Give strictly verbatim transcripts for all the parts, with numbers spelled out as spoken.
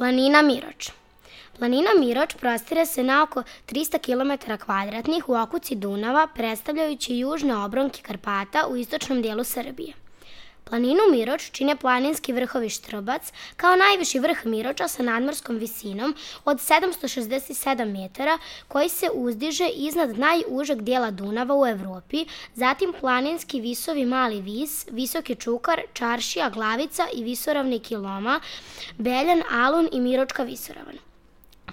Planina Miroč. Planina Miroč prostire se na oko trista kilometara kvadratnih u okuci Dunava, predstavljajući južne obronke Karpata u istočnom dijelu Srbije. Planinu Miroč čine planinski vrhovi Štrbac, kao najviši vrh Miroča sa nadmorskom visinom od sedamsto šezdeset sedam metara, koji se uzdiže iznad najužeg dijela Dunava u Evropi, zatim planinski visovi Mali Vis, Visoki Čukar, Čaršija, Glavica i visoravni Kiloma, Beljan, Alun i Miročka visoravan.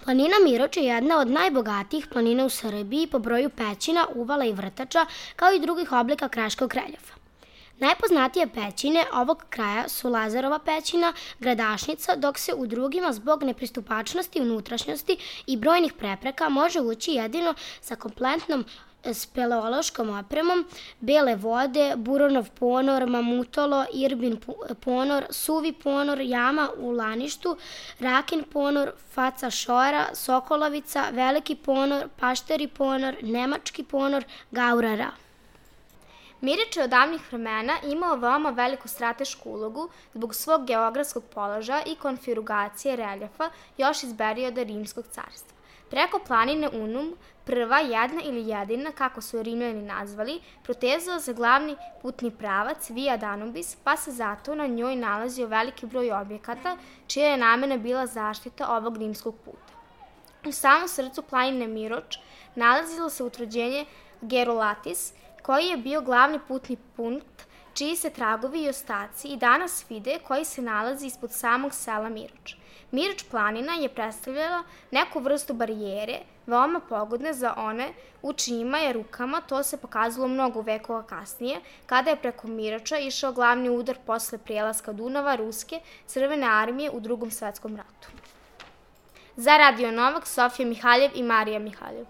Planina Miroč je jedna od najbogatijih planina u Srbiji po broju pećina, uvala i vrtača, kao i drugih oblika kraškog reljefa. Najpoznatije pećine ovog kraja su Lazarova pećina, Gradašnica, dok se u drugima zbog nepristupačnosti unutrašnjosti i brojnih prepreka može ući jedino sa kompletnom speleološkom opremom, Bele vode, Buronov ponor, Mamutolo, Irbin ponor, Suvi ponor, Jama u Laništu, Rakin ponor, Faca šora, Sokolovica, Veliki ponor, Pašteri ponor, Nemački ponor, Gaurara. Mirič je od davnih vremena imao veoma veliku stratešku ulogu zbog svog geografskog položaja i konfiguracije reljefa još iz perioda Rimskog carstva. Preko planine Unum, prva, jedna ili jedina, kako su je Rimljani nazvali, protezao se glavni putni pravac Via Danubis, pa se zato na njoj nalazio veliki broj objekata, čija je namena bila zaštita ovog rimskog puta. U samom srcu planine Miroč nalazilo se utvrđenje Gerolatis, koji je bio glavni putni punkt, čiji se tragovi i ostaci i danas vide, koji se nalazi ispod samog sela Miroč. Miroč planina je predstavljala neku vrstu barijere, veoma pogodne za one u čijima je rukama, to se pokazalo mnogo vekova kasnije, kada je preko Miroča išao glavni udar posle prelaska Dunava Ruske crvene armije u Drugom svetskom ratu. Za Radio Novak, Sofija Mihaljev i Marija Mihaljev.